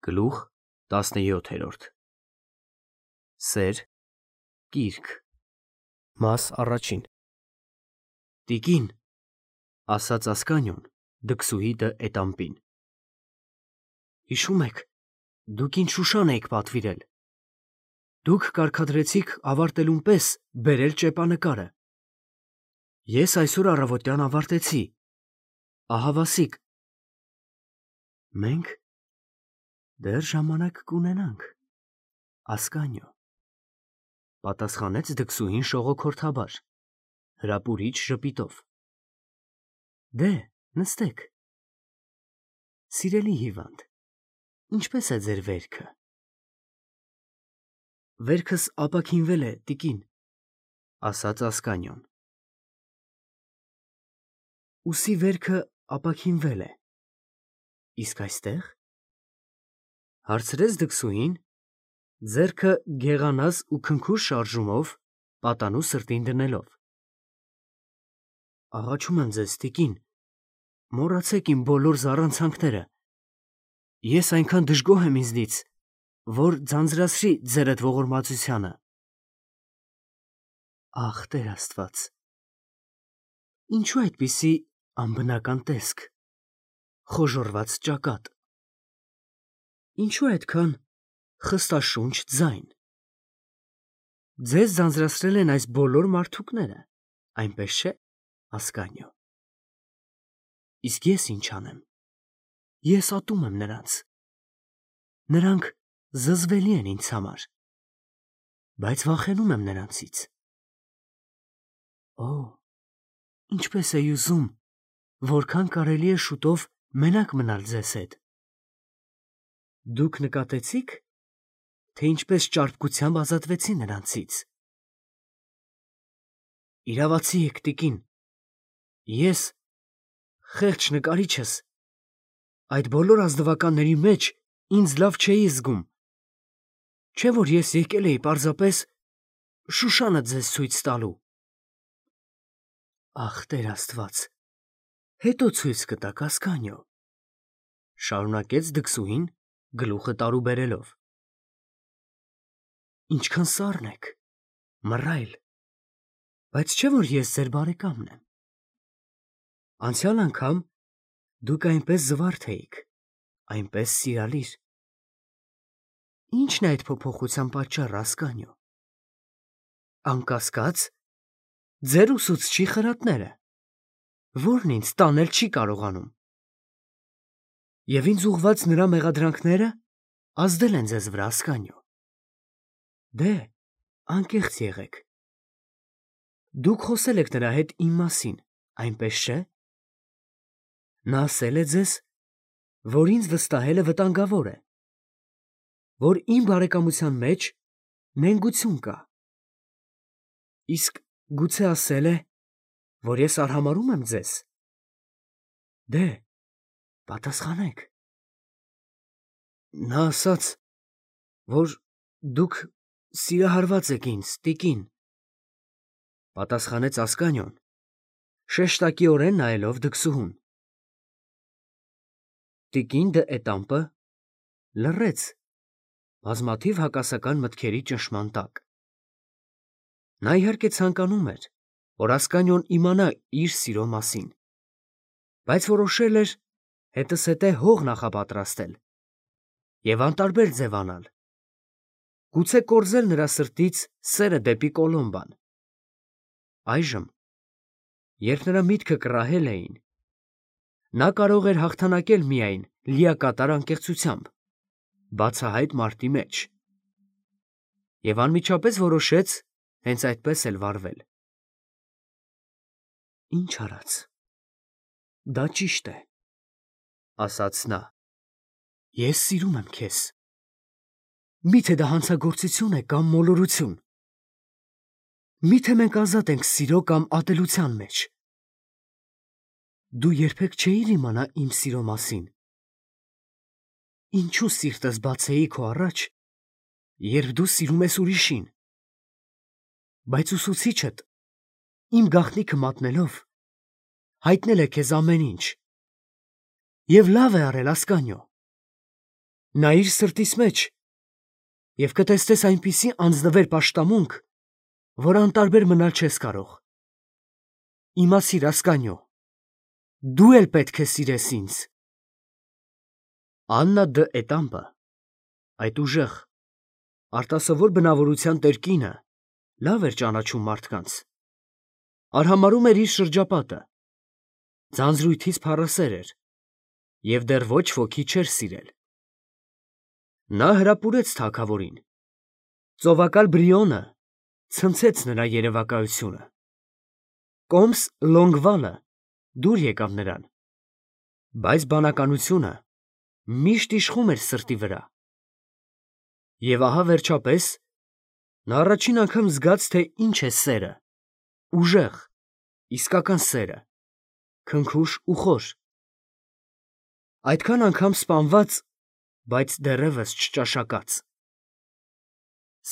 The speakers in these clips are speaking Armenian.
Գլուխ 17 Սեր Կիրք Մաս առաջին Տիկին, ասաց Ասկանյոն, դքսուհի դը էտամպին։ Հիշում եք, դուք ինչ Շուշան էիք պատվիրել։ Դուք կարգադրեցիք ավարտելուն պես բերել ճեպանկարը։ Ես այսօր առավոտյան ավարտեցի։ Ահավասիկ։ Մենք դեռ ժամանակ կունենանք, Ասկանյո, պատասխանեց դքսուհին շողոքորթաբար, հրապուրիչ ժպիտով։ Դե, նստեք։ Սիրելի հիվանդ, ինչպես է ձեր վերքը։ Վերքս ապաքինվել է, տիկին, ասաց Ասկանյոն։ Ուսի վերքը ապաքինվել է։ Իսկ այստեղ։ Հարցրեց դքսուհին, ձեռքը գեղանազ ու քնքուշ շարժումով պատանու սրտին դնելով։ Աղաչում եմ ձեզ, տիկին, մոռացեք իմ բոլոր զառանցանքները։ Ես այնքան դժգոհ եմ ինձնից, որ ձանձրացրի ձերդ ողորմածությանը։ Ախ, Տեր Աստված, ինչու այդպիսի անբնական տեսք, խոժոռված ճակատ։ Ինչու այդքան խստաշունչ ձայն։ Ձեզ ձանձրացրել են այս բոլոր մարդուկները, այնպես չէ, Ասկանյո։ Իսկ ես ինչ անեմ։ Ես ատում եմ նրանց։ Նրանք զզվելի են ինձ համար, բայց վախենում եմ նրանցից։ Օ, ինչպես էի ուզում, որքան կարելի է շուտով մենակ մնալ ձեզ հետ։ Դուք նկատեցի՞ք, թե ինչպես ճարպկությամբ ազատվեցի նրանցից։ Իրավացի եք, տիկին, ես, խեղճ նկարիչս, այդ բոլոր ազնվականների մեջ ինձ լավ չէի զգում, չէ՞ որ ես եկել էի պարզապես Շուշանը ձեզ ցույց տալու։ Ախ, Տեր Աստված, հետո ցույց կտաք, Ասկանյո, շարունակեց դքսուհին, գլուխը տարուբերելով։ Ինչքան սառն եք, մռայլ, բայց չէ՞ որ ես ձեր բարեկամն եմ։ Անցյալ անգամ դուք այնպես զվարթ էիք, այնպես սիրալիր։ Ի՞նչն է այդ փոփոխության պատճառը, Ասկանյո։ Անկասկած, ձեր ուսուցչի խրատները, որն ինձ տանել չի կարողանում։ Եվ ինձ ուղղված նրա մեղադրանքները ազդել են ձեզ վրա, Ասկանյո։ Դե, անկեղծ եղեք։ Դուք խոսել եք նրա հետ իմ մասին, այնպես չէ։ Նա ասել է ձեզ, որ ինձ վստահելը վտանգավոր է, որ իմ բարեկամության մեջ նենգություն կա։ Իսկ գուցե ասել է, որ ես արհամարհում եմ ձեզ։ Դե, պատասխանեք։ Նա ասաց, որ դուք սիրահարված եք ինձ, տիկին, պատասխանեց Ասկանյոն, շեշտակիորեն նայելով դքսուհուն։ Տիկին դը էտամպը լռեց բազմաթիվ հակասական մտքերի ճնշման տակ։ Նա իհարկե ցանկանում էր, որ Ասկանյոն իմանա իր սիրո մասին, բայց որոշել էր հետզհետե հող նախապատրաստել և անտարբեր ձևանալ, գուցե կորզել նրա սրտից սերը դեպի Կոլոմբան։ Այժմ, երբ նրա միտքը կռահել էին, նա կարող էր հաղթանակել միայն լիակատար անկեղծությամբ, բացահայտ մարտի մեջ, և անմիջապես որոշեց հենց այդպես էլ վարվել։ Ինչ արած, դա ճիշտ է, ասաց նա։ Ես սիրում եմ քեզ։ Մի՞թե դա հանցագործություն է կամ մոլորություն։ Մի՞թե մենք ազատ ենք սիրո կամ ատելության մեջ։ Դու երբեք չէիր իմանա իմ սիրո մասին։ Ինչու սիրտս բացեի քո առաջ, երբ դու սիրում ես ուրիշին։ Բայց ուսուցիչդ, իմ գաղտնիքը մատնելով, հայտնել է քեզ ամեն ինչ։ Եվ լավ է արել, Ասկանյո։ նայիր սրտիս մեջ և կտեսնես այնպիսի անձնվեր պաշտամունք, որ անտարբեր մնալ չես կարող։ Իմացիր, Ասկանյո, դու էլ պետք է սիրես ինձ։ Աննա դը Էտամպը, այդ ուժեղ, արտասովոր բնավորության տեր կինը, լավ էր ճանաչում մարդկանց, արհամարհում էր իր շրջապատը, ձանձրույթից փառասեր էր և դեռ ոչ ոքի չէր սիրել։ Նա հրապուրեց թագավորին, ծովակալ Բրիոնը ցնցեց նրա երևակայությունը, կոմս Լոնգվալը դուր եկավ նրան, բայց բանականությունը միշտ իշխում էր սրտի վրա։ Եվ ահա վերջապես նա առաջին անգամ զգաց, թե ինչ է սերը, ուժեղ, իսկական սերը, քնքուշ ու խոր, այդքան անգամ սպանված, բայց դեռևս չճաշակած։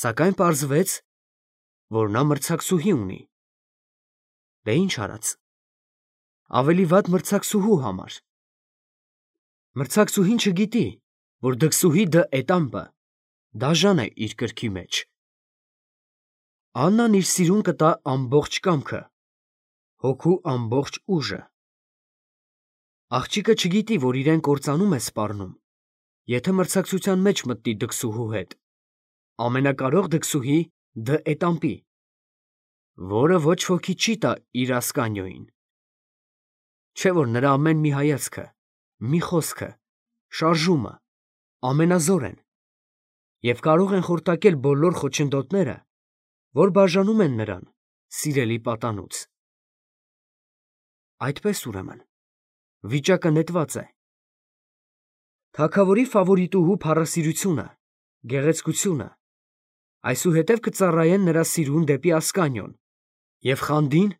Սակայն պարզվեց, որ նա մրցակցուհի ունի։ Դե ինչ արած, ավելի վատ մրցակցուհու համար։ Մրցակցուհին չգիտի, որ դքսուհի դը Էտամպը դաժան է իր կրքի մեջ։ Աննան իր սիրուն կտա ամբողջ կամքը, հոգու ամբողջ ուժը։ Աղջիկը չգիտի, որ իրեն կործանում է սպառնում, եթե մրցակցության մեջ մտնի դքսուհու հետ, ամենակարող դքսուհի դը Էտամպի, որը ոչ ոքի չի տա իր Ասկանյոյին։ Չէ՞ որ նրա ամեն մի հայացքը, մի խոսքը, շարժումը ամենազոր են և կարող են խորտակել բոլոր խոչընդոտները, որ բաժանում են նրան սիրելի պատանուց։ Այդպես ուրեմն, վիճակը նետված է։ Թագավորի ֆավորիտուհու փառասիրությունը, գեղեցկությունը այսուհետև կծառայեն նրա սիրուն դեպի Ասկանյոն և խանդին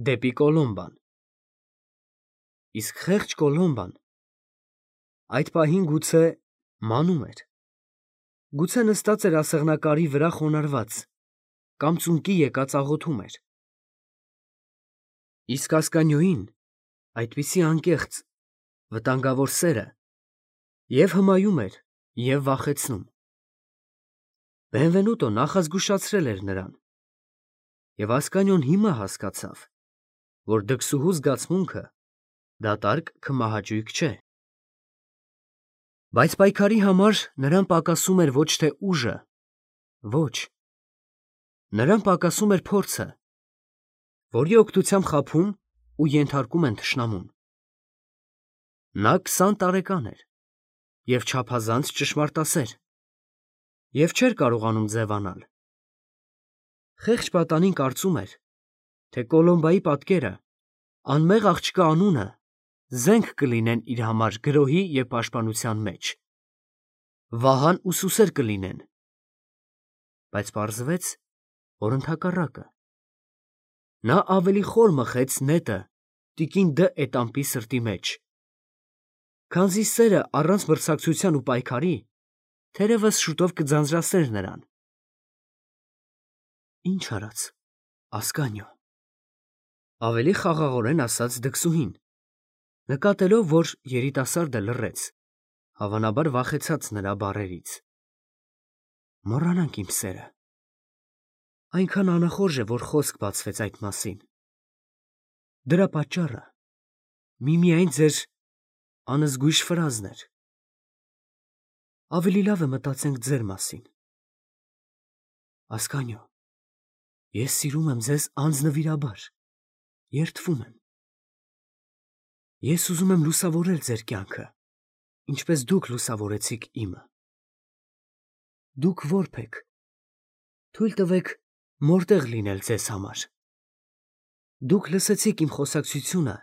դեպի Կոլոմբան։ Իսկ խեղճ Կոլոմբան այդ պահին գուցե մանում էր, գուցե նստած էր ասեղնակարի վրա խոնարհված կամ ծունկի եկած աղոթում էր։ Իսկ Ասկանյոյին այդպիսի անկեղծ, վտանգավոր սերը և հմայում էր, և վախեցնում։ Բենվենուտո նախազգուշացրել էր նրան, և Ասկանյոն հիմա հասկացավ, որ դքսուհու զգացմունքը դատարկ քմահաճույք չէ։ Բայց պայքարի համար նրան պակասում էր ոչ թե ուժը, ոչ, նրան պակասում էր փորձը, որի օգնությամբ խաբում ու ենթարկում են թշնամուն։ Նա 20 տարեկան էր և չափազանց ճշմարտասեր և չէր կարողանում ձևանալ։ Խեղճ պատանին կարծում էր, թե Կոլոմբայի պատկերը, անմեղ աղջկա անունը զենք կլինեն իր համար գրոհի և պաշտպանության մեջ, վահան ու սուսեր կլինեն։ Բայց պարզվեց, որ ընդհակառակը։ Նա ավելի խոր մխեց նետը տիկին դը Էտամպի սրտի մեջ, քանզի սերը առանց մրցակցության ու պայքարի թերևս շուտով կձանձրացներ նրան։ Ինչ արած, Ասկանյո, ավելի խաղաղորեն ասաց դքսուհին, նկատելով, որ երիտասարդը լռեց, հավանաբար վախեցած նրա բառերից։ Մոռանանք իմ սերը։ Այնքան անախորժ է, որ խոսք բացվեց այդ մասին։ Դրա պատճառը միմիայն ձեր անզգույշ ֆրազն էր։ Ավելի լավ է մտածենք ձեր մասին։ Ասկանյո, ես սիրում եմ ձեզ անձնվիրաբար, երդվում եմ։ Ես ուզում եմ լուսավորել ձեր կյանքը, ինչպես դուք լուսավորեցիք իմը։ Դուք որբ եք, թույլ տվեք մորտեղ լինել ձեզ համար։ Դուք լսեցիք իմ խոսակցությունը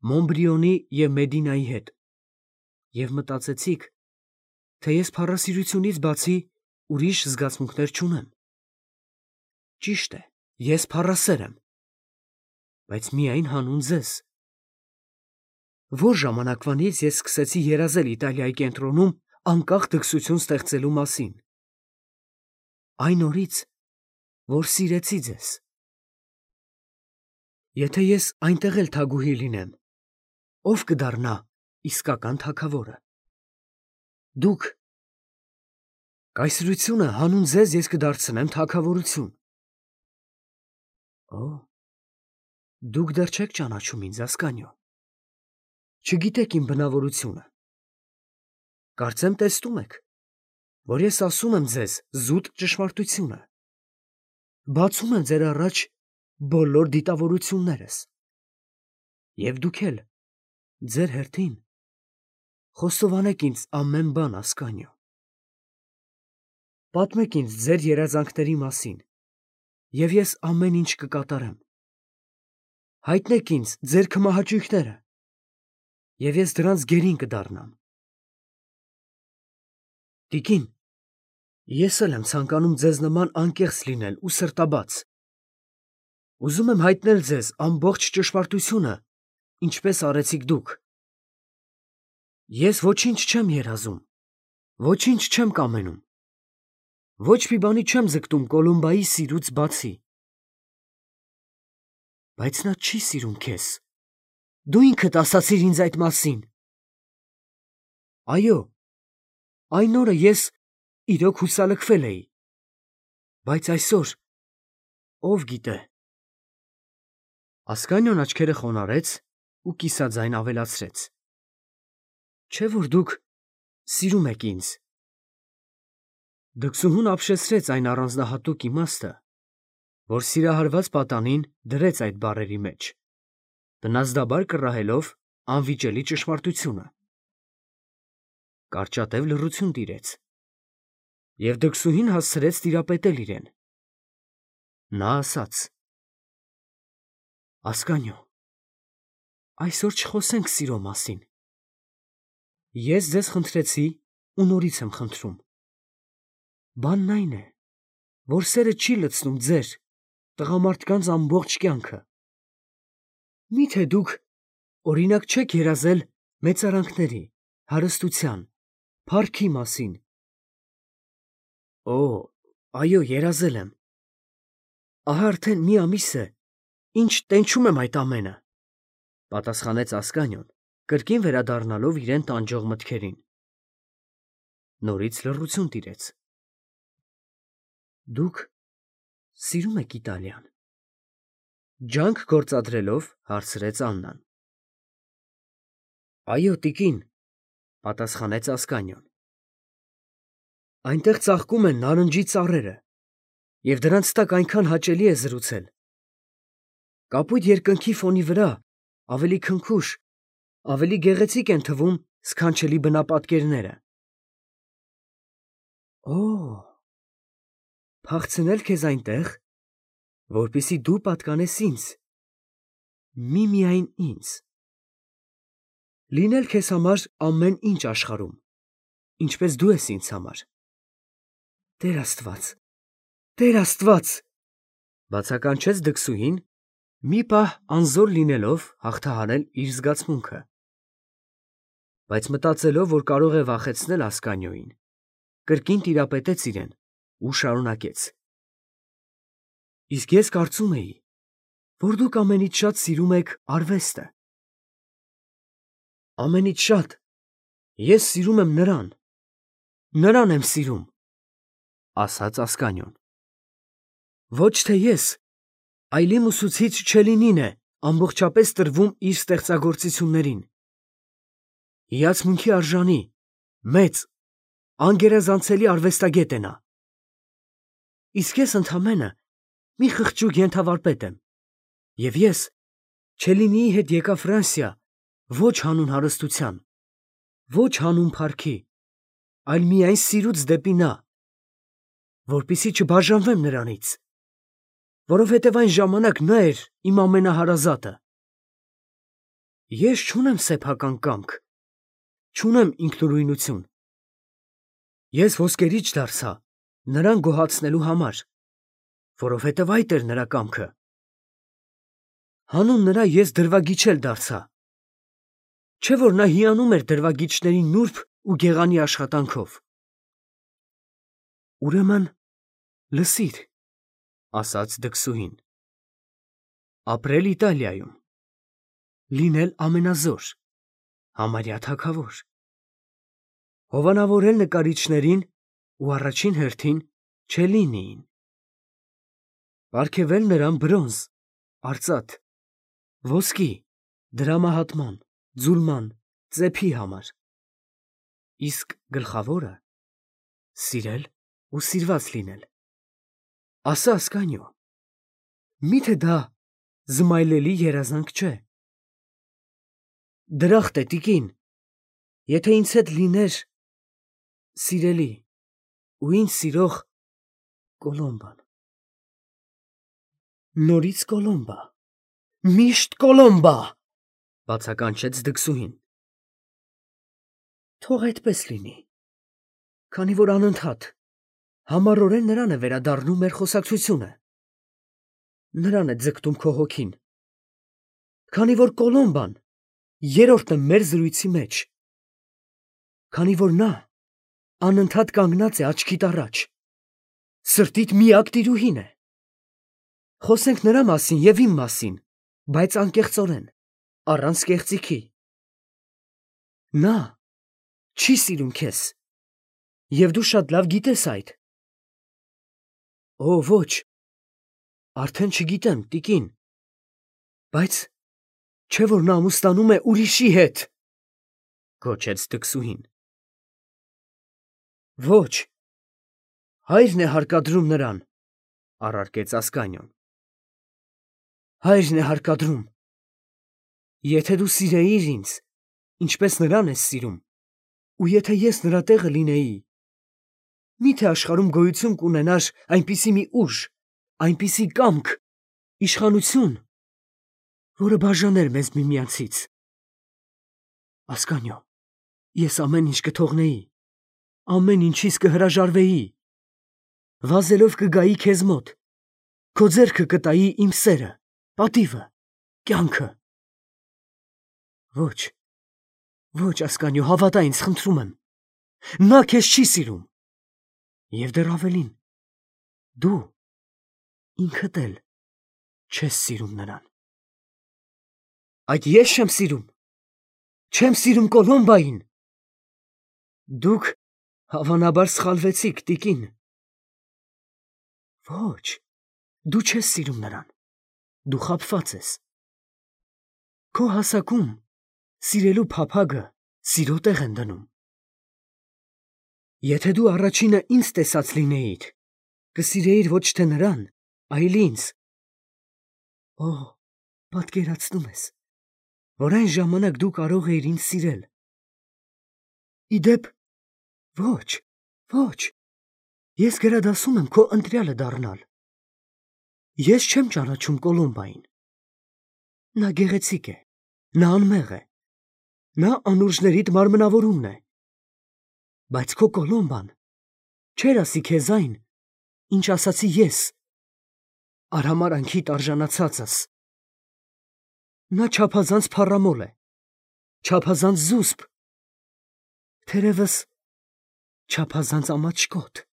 Մոնբրիոնի և Մեդինայի հետ և մտածեցիք, թե ես փառասիրությունից բացի ուրիշ զգացմունքներ չունեմ։ Ճիշտ է, ես փառասեր եմ, բայց միայն հանուն ձեզ։ Որ ժամանակվանից ես սկսեցի երազել Իտալիայի կենտրոնում անկախ դքսություն ստեղծելու մասին։ Այն օրից, որ սիրեցի ձեզ։ Եթե ես այնտեղ էլ թագուհի լինեմ, ով կդառնա իսկական թագավորը։ Դուք, Կայսրությունը հանուն ձեզ ես կդարձնեմ թագավորություն։ Օ, դուք դեռ չեք ճանաչում ինձ, Ասկանիո։ Չգիտեք իմ բնավորությունը։ Կարծեմ տեսնում եք, որ ես ասում եմ ձեզ զուտ ճշմարտությունը։ Բացում եմ ձեր առաջ բոլոր դիտավորություններս։ Եվ դուք էլ, ձեր հերթին, խոստովանեք ինձ ամեն բան, Ասկանիո։ Պատմեք ինձ ձեր երազանքների մասին, և ես ամեն ինչ կկատարեմ։ Հայտնեք ինձ ձեր քմահաճույքները, և ես դրանց գերին կդառնամ։ Տիկին, ես էլ եմ ցանկանում ձեզ նման անկեղծ լինել ու սրտաբաց։ Ուզում եմ հայտնել ձեզ ամբողջ ճշմարտությունը, ինչպես արեցիք դուք։ Ես ոչինչ չեմ երազում, ոչինչ չեմ կամենում, ոչ մի բանի չեմ ձգտում Կոլումբայի սիրուց բացի։ Բայց նա չի սիրում քեզ։ Դու ինքդ ասացիր ինձ այդ մասին։ Այո, այն օրը ես իրոք հուսալքվել էի, բայց այսօր ով գիտե։ Ասկանիոն աչքերը խոնարհեց ու կիսաձայն ավելացրեց. Չէ՞ որ դուք սիրում եք ինձ։ Դքսուհուն ապշեցրեց այն առանձնահատուկ իմաստը, որ սիրահարված պատանին դրեց այդ բառերի մեջ, բնազդաբար կռահելով անվիճելի ճշմարտությունը։ Կարճատև լռություն տիրեց, և դքսուհին հասցրեց տիրապետել իրեն։ Նա ասաց. Ասկանիո, այսօր չխոսենք սիրո մասին։ Ես ձեզ խնդրեցի ու նորից եմ խնդրում։ Բանն այն է, որ սերը չի լցնում ձեր, տղամարդկանց ամբողջ կյանքը։ Մի՞թե դուք օրինակ չեք երազել մեծարանքների, հարստության, փառքի մասին։ Օ, այո, երազել եմ։ Ահա արդեն մի ամիս է, ինչ տենչում եմ այդ ամենը, պատասխանեց Ասկանիոն, կրկին վերադառնալով իրեն տանջող մտքերին։ Նորից լռություն տիրեց։ Դուք սիրում եք Իտալիան։ Ջանք գործադրելով հարցրեց Աննան։ Այո, տիկին, պատասխանեց Ասկանիոն։ Այնտեղ ծաղկում են նարնջի ծառերը, և դրանց տակ այնքան հաճելի է զրուցել։ Կապույտ երկնքի ֆոնի վրա ավելի քնքուշ, ավելի գեղեցիկ են թվում սքանչելի բնապատկերները։ Օ, փախցնել քեզ այնտեղ, որպեսզի դու պատկանես ինձ, միմիայն ինձ։ Լինել քեզ համար ամեն ինչ աշխարհում, ինչպես դու ես ինձ համար։ Տեր Աստված, Տեր Աստված, բացականչեց դքսուհին, մի պահ անզոր լինելով հաղթահարել իր զգացմունքը։ Բայց մտածելով, որ կարող է վախեցնել Ասկանիոյին, կրկին տիրապետեց իրեն ու շարունակեց. Իսկ ես կարծում էի, որ դուք ամենից շատ սիրում եք արվեստը։ Ամենից շատ ես սիրում եմ նրան եմ սիրում, ասաց Ասկանիոն։ Ոչ թե ես, այլ իմ ուսուցիչ Չելինին է ամբողջապես տրվում իր ստեղծագործություններին։ Հիացմունքի արժանի, մեծ, անգերազանցելի արվեստագետ է նա։ Իսկ ես ընդամենը մի խղճուկ ենթավարպետ եմ, և ես Չելինիի հետ եկա Ֆրանսիա ոչ հանուն հարստության, ոչ հանուն փառքի, այլ միայն սիրուց դեպի նա, որպեսզի չբաժանվեմ նրանից, որովհետև այն ժամանակ նա էր իմ ամենահարազատը։ Ես չունեմ սեփական կամք, չունեմ ինքնուրույնություն։ Ես ոսկերիչ դարձա նրան գոհացնելու համար, որովհետև այդ էր նրա կամքը։ Հանուն նրա ես դրվագիչ դարձա։ Չէ՞ որ նա հիանում էր դրվագիչների նուրբ ու գեղանի աշխատանքով։ Ուրեմն լսիր, ասաց դքսուհին. ապրել Իտալիայում, լինել ամենազոր, համարյա թագավոր, հովանավորել նկարիչներին ու առաջին հերթին Չելինիին։ Պարգևել նրան բրոնզ, արծաթ, ոսկի, դրամահատման, ձուլման, ծեփի համար։ Իսկ գլխավորը սիրել ու սիրված լինել։ Ասա Ասկանյո, միթե դա զմայլելի երազանք չէ։ Դրախտ է տիկին, եթե ինձ հետ լիներ սիրելի ու ինձ սիրող Կոլոմբան։ Նորից Կոլոմբա, միշտ Կոլոմբա, բացականչեց դքսուհին։ Թող այդպես լինի, քանի որ անընդհատ համառորեն նրան է վերադառնում մեր խոսակցությունը։ Նրան է ձգտում քո հոգին, քանի որ Կոլոմբան երրորդն է մեր զրույցի մեջ, քանի որ նա անընդհատ կանգնած է աչքիդ առաջ, սրտիդ միակ տիրուհին է։ Խոսենք նրա մասին և իմ մասին, բայց անկեղծորեն, առանց կեղծիքի։ Նա չի սիրում քեզ, և դու շատ լավ գիտես այդ։ Օ, ոչ, արդեն չգիտեմ, տիկին, բայց չէ՞ որ նա ամուսնանում է ուրիշի հետ, գոչեց դքսուհին։ Ոչ, հայրն է հարկադրում նրան, առարկեց Ասկանիոն։ Հայրն է հարկադրում։ Եթե դու սիրեիր ինձ, ինչպես նրան ես սիրում, ու եթե ես նրա տեղը լինեի, միթե աշխարհում գոյություն կունենար այնպիսի մի ուժ, այնպիսի կամք, իշխանություն, որը բաժաներ մեզ միմյանցից։ Ասկանյո, ես ամեն ինչ կթողնեի, ամեն ինչից կհրաժարվեի, վազելով կգայի քեզ մոտ, քո ձեռքը կտայի իմ սերը, պատիվը, կյանքը։ Ոչ, ոչ, Ասկանյո, հավատա ինձ, խնդրում եմ, նա քեզ չի սիրում, և դեռ ավելին, դու ինքդ էլ չես սիրում նրան։ Այդ ես չեմ սիրում, չեմ սիրում Կոլոմբային։ Դուք հավանաբար սխալվեցիք, տիկին։ Ոչ, դու չես սիրում նրան, դու խաբված ես։ Քո հասակում սիրելու փափագը սիրո տեղ են դնում։ Եթե դու առաջինը ինձ տեսած լինեիր, կսիրեիր ոչ թե նրան, այլ ինձ։ Օ, պատկերացնում ես, որ այն ժամանակ դու կարող էիր ինձ սիրել։ Ի դեպ, ոչ, ոչ, ես գերադասում եմ քո ընտրյալը դառնալ։ Ես չեմ ճանաչում Կոլոմբային։ Նա գեղեցիկ է, նա անմեղ է, նա անուրջներիդ մարմնավորումն է, բայց քո Կոլոմբան չէր ասի քեզ այն, ինչ ասացի ես, արհամարհանքիդ արժանացածս։ Նա չափազանց փառամոլ է, չափազանց զուսպ, թերևս չափազանց ամաչկոտ։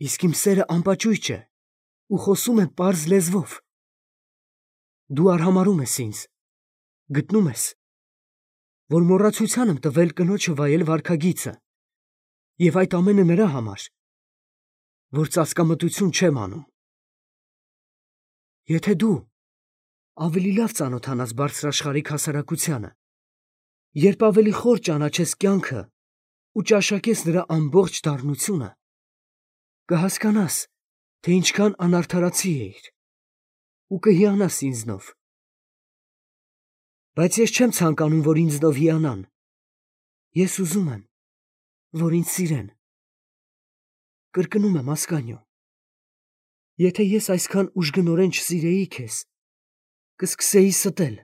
Իսկ իմ սերը անպաճույճ է ու խոսում է պարզ լեզվով։ Դու արհամարհում ես ինձ, գտնում ես, որ մոռացության եմ տվել կնոջը վայել վարքագիծը, և այդ ամենը նրա համար, որ ծածկամտություն չեմ անում։ Եթե դու ավելի լավ ծանոթանաս բարձրաշխարհիկ հասարակությանը, երբ ավելի խոր ճանաչես կյանքը ու ճաշակես նրա ամբողջ դառնությունը, կհասկանաս, թե ինչքան անարդարացի էիր ու կհիանաս ինձնով։ Բայց ես չեմ ցանկանում, որ ինձնով հիանան։ Ես ուզում եմ, որ ինձ սիրեն։ Կրկնում եմ, Ասկանյո, եթե ես այսքան ուժգնորեն չսիրեի քեզ, կսկսեի ստել,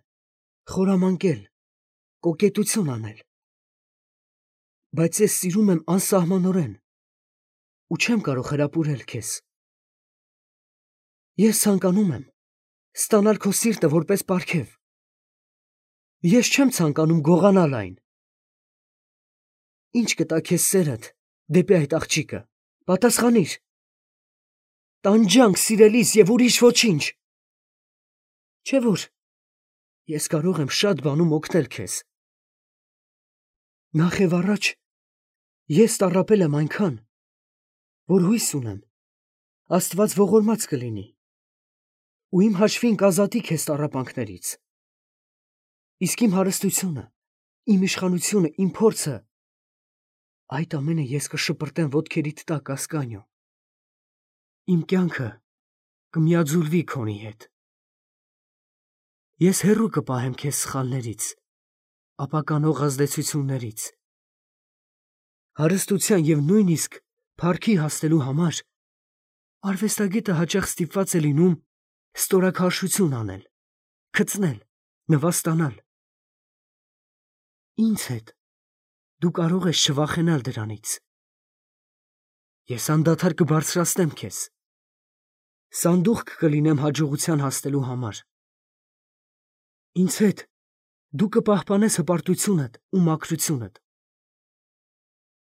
խորամանկել, կոկետություն անել։ Բայց ես սիրում եմ անսահմանորեն ու չեմ կարող հրապուրել քեզ։ Ես ցանկանում եմ ստանալ քո սիրտը որպես պարգև։ Ես չեմ ցանկանում գողանալ այն։ Ինչ կտա քեզ սերդ դեպի այդ աղջիկը, պատասխանիր։ Տանջանք սիրելիս և ուրիշ ոչինչ։ Չէ՞ որ ես կարող եմ շատ բանում օգնել քեզ։ Նախ և առաջ Ես տառապել եմ այնքան, որ հույս ունեմ, Աստված ողորմած կլինի, ու իմ հաշվին կազատի քեզ տառապանքներից։ Իսկ իմ հարստությունը, իմ իշխանությունը, իմ փորձը, այդ ամենը ես կշպրտեմ ոտքերիդ տակ, Ասկանիո։ Իմ կյանքը կմիաձուլվի քոնի հետ։ Ես հեռու կպահեմ քեզ սխալներից, ապականող ազդեցություններից։ Հարստության և նույնիսկ փառքի հասնելու համար արվեստագետը հաճախ ստիպված է լինում ստորաքարշություն անել, քծնել, նվաստանալ։ Ինձ հետ դու կարող ես չվախենալ դրանից։ Ես անդադար կբարձրացնեմ քեզ, սանդուղք կլինեմ հաջողության հասնելու համար։ Ինձ հետ դու կպահպանես հպարտությունդ ու մաքրությունդ,